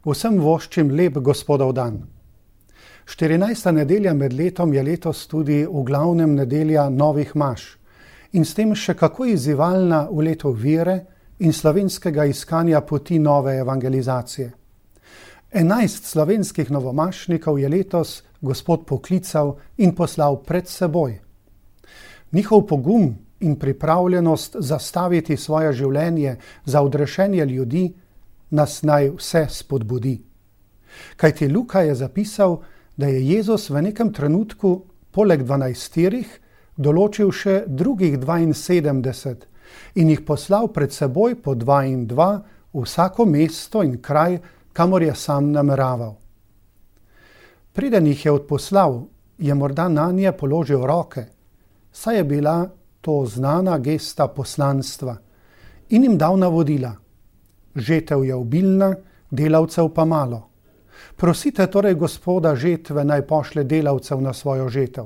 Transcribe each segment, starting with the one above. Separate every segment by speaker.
Speaker 1: Vsem voščim lep Gospodov dan. 14. nedelja med letom je letos tudi v glavnem nedelja novih maš in s tem še kako izzivalna v letu vere in slovenskega iskanja poti nove evangelizacije. 11 slovenskih novomašnikov je letos Gospod poklical in poslal pred seboj. Njihov pogum in pripravljenost zastaviti svoje življenje za odrešenje ljudi nas naj vse spodbudi. Kajti Luka je zapisal, da je Jezus v nekem trenutku poleg 12 določil še drugih 72 in jih poslal pred seboj po 2 in 2 v vsako mesto in kraj, kamor je sam nameraval. Preden jih je odposlal, je morda nanje položil roke, saj je bila to znana gesta poslanstva, in jim dal navodila. Žetev je obilna, delavcev pa malo. Prosite torej Gospoda žetve, naj pošlje delavcev na svojo žetev.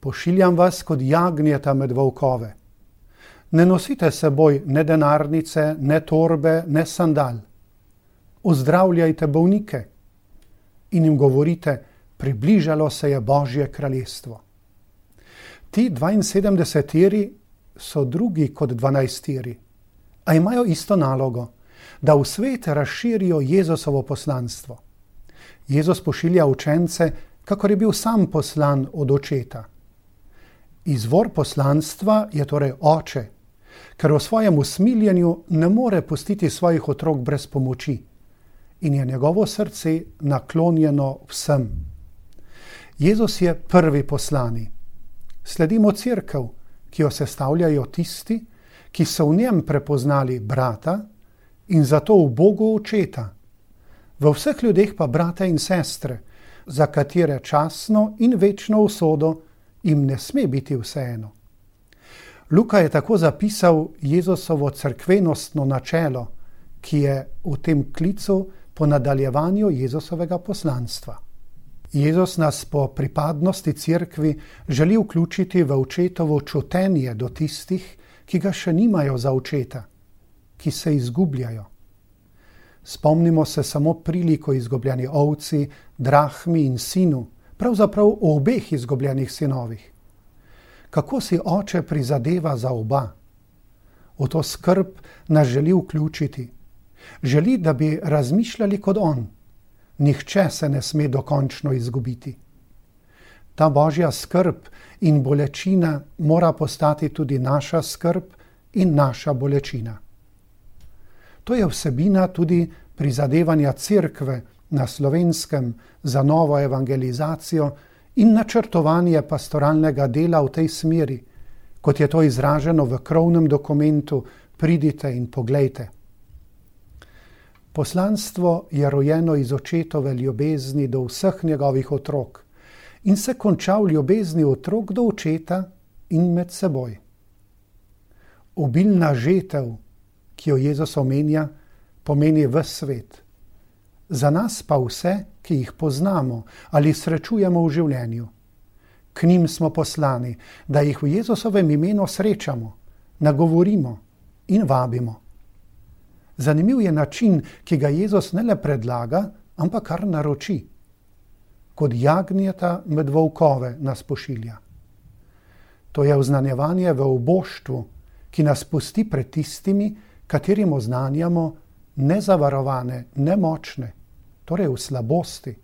Speaker 1: Pošiljam vas kot jagnjeta med volkove. Ne nosite seboj ne denarnice, ne torbe, ne sandal. Ozdravljajte bolnike in jim govorite, približalo se je Božje kraljestvo. Ti 72 so drugi kot 12, a imajo isto nalogo, da v svet razširijo Jezusovo poslanstvo. Jezus pošilja učence, kakor je bil sam poslan od očeta. Izvor poslanstva je torej oče, ker v svojem usmiljenju ne more pustiti svojih otrok brez pomoči in je njegovo srce naklonjeno vsem. Jezus je prvi poslani. Sledimo cerkev, ki jo sestavljajo tisti, ki so v njem prepoznali brata in zato v Bogu očeta. V vseh ljudeh pa brate in sestre, za katere časno in večno usodo jim ne sme biti vseeno. Luka je tako zapisal Jezusovo cerkvenostno načelo, ki je v tem klicu po nadaljevanju Jezusovega poslanstva. Jezus nas po pripadnosti cerkvi želi vključiti v očetovo čutenje do tistih, ki ga še nimajo za očeta, ki se izgubljajo. Spomnimo se samo priliko izgubljeni ovci, drahmi in sinu, pravzaprav o obeh izgubljenih sinovih. Kako si oče prizadeva za oba? V to skrb nas želi vključiti. Želi, da bi razmišljali kot on. Nihče se ne sme dokončno izgubiti. Ta Božja skrb in bolečina mora postati tudi naša skrb in naša bolečina. To je vsebina tudi prizadevanja cerkve na Slovenskem za novo evangelizacijo in načrtovanje pastoralnega dela v tej smeri, kot je to izraženo v krovnem dokumentu Pridite in poglejte. Poslanstvo je rojeno iz očetove ljubezni do vseh njegovih otrok in se konča v ljubezni otrok do očeta in med seboj. Obilna žetev, ki jo Jezus omenja, pomeni ves svet. Za nas pa vse, ki jih poznamo ali srečujemo v življenju. K njim smo poslani, da jih v Jezusovem imenu srečamo, nagovorimo in vabimo. Zanimiv je način, ki ga Jezus ne le predlaga, ampak kar naroči. Kot jagnjeta med volkove nas pošilja. To je oznanjevanje v oboštvu, ki nas pusti pred tistimi, katerim oznanjamo nezavarovane, nemočne, torej v slabosti.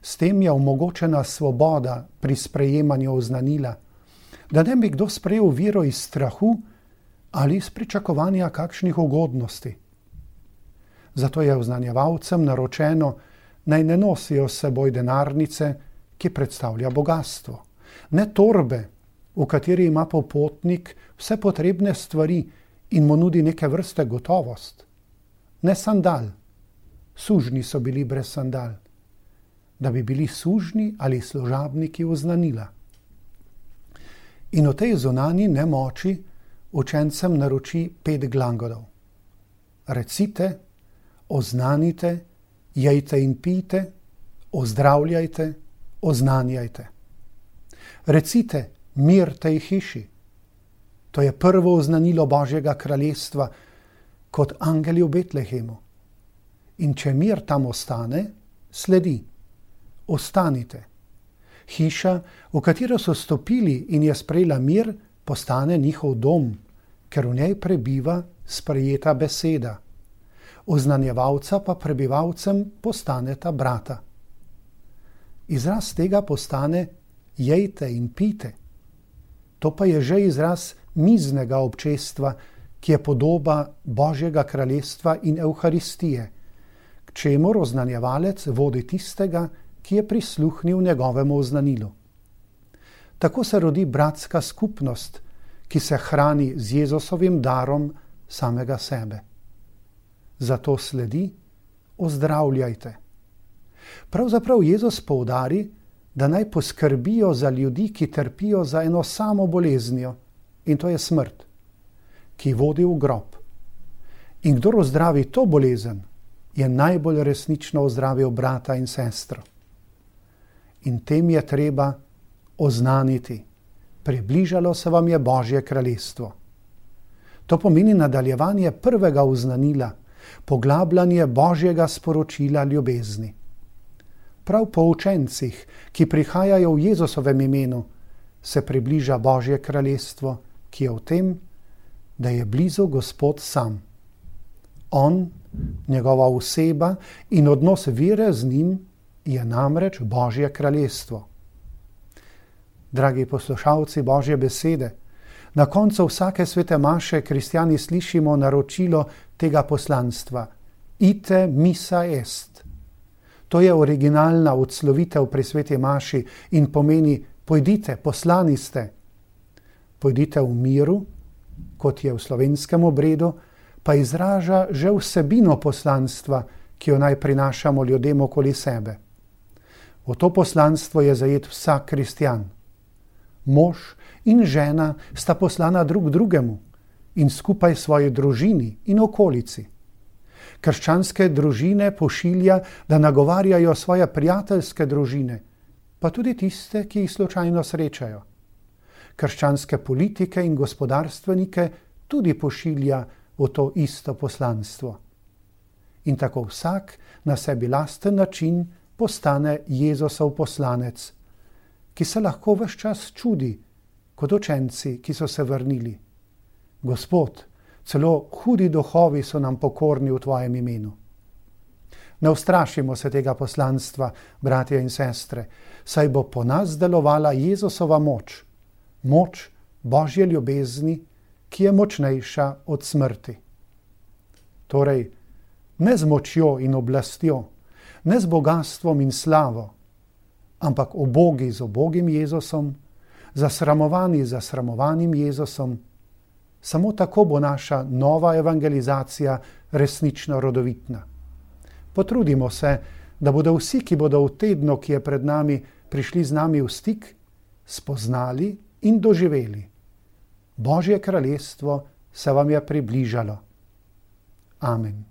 Speaker 1: S tem je omogočena svoboda pri sprejemanju oznanila, da ne bi kdo sprejel vero iz strahu ali iz pričakovanja kakšnih ugodnosti. Zato je oznanjevalcem naročeno, naj ne nosijo s seboj denarnice, ki predstavlja bogastvo, ne torbe, v kateri ima popotnik vse potrebne stvari in mu nudi neke vrste gotovost, ne sandal, sužnji so bili brez sandal, da bi bili sužnji ali služabniki oznanila. In v tej zunanji nemoči učencem naroči 5 glagolov. Recite, oznanite, jejte in pijte, ozdravljajte, oznanjajte. Recite, mir tej hiši. To je prvo oznanilo Božjega kraljestva kot angeli v Betlehemu. In če mir tam ostane, sledi. Ostanite. Hiša, v katero so stopili in je sprejela mir, postane njihov dom, ker v njej prebiva sprejeta beseda. Oznanjevalca pa prebivalcem postaneta brata. Izraz tega postane jejte in pite. To pa je že izraz miznega občestva, ki je podoba Božjega kraljestva in Evharistije, k čemur oznanjevalec vodi tistega, ki je prisluhnil njegovemu oznanilu. Tako se rodi bratska skupnost, ki se hrani z Jezusovim darom samega sebe. Zato sledi: ozdravljajte. Pravzaprav Jezus poudari, da naj poskrbijo za ljudi, ki trpijo za eno samo boleznijo, in to je smrt, ki vodi v grob. In kdor ozdravi to bolezen, je najbolj resnično ozdravil brata in sestro. In tem je treba oznaniti: približalo se vam je Božje kraljestvo. To pomeni nadaljevanje prvega oznanila, poglabljanje Božjega sporočila ljubezni. Prav po učencih, ki prihajajo v Jezusovem imenu, se približa Božje kraljestvo, ki je v tem, da je blizu Gospod sam. On, njegova oseba in odnos vere z njim je namreč Božje kraljestvo. Dragi poslušalci Božje besede, na koncu vsake svete maše kristjani slišimo naročilo tega poslanstva: Ite missa est. To je originalna odslovitev pri sveti maši in pomeni: pojdite, poslani ste. Pojdite v miru, kot je v slovenskem obredu, pa izraža že vsebino poslanstva, ki jo naj prinašamo ljudem okoli sebe. V to poslanstvo je zajet vsak kristjan. Mož in žena sta poslana drug drugemu in skupaj svoji družini in okolici. Krščanske družine pošilja, da nagovarjajo svoje prijateljske družine, pa tudi tiste, ki jih slučajno srečajo. Krščanske politike in gospodarstvenike tudi pošilja v to isto poslanstvo. In tako vsak na sebi lasten način postane Jezusov poslanec, ki se lahko ves čas čudi, kot učenci, ki so se vrnili: Gospod, celo hudi duhovi so nam pokorni v tvojem imenu. Ne ustrašimo se tega poslanstva, bratje in sestre, saj bo po nas delovala Jezusova moč, moč Božje ljubezni, ki je močnejša od smrti. Torej, ne z močjo in oblastjo, ne z bogastvom in slavo, ampak ubogi z ubogim Jezusom, zasramovani z zasramovanim Jezusom. Samo tako bo naša nova evangelizacija resnično rodovitna. Potrudimo se, da bodo vsi, ki bodo v tednu, ki je pred nami, prišli z nami v stik, spoznali in doživeli: Božje kraljestvo se vam je približalo. Amen.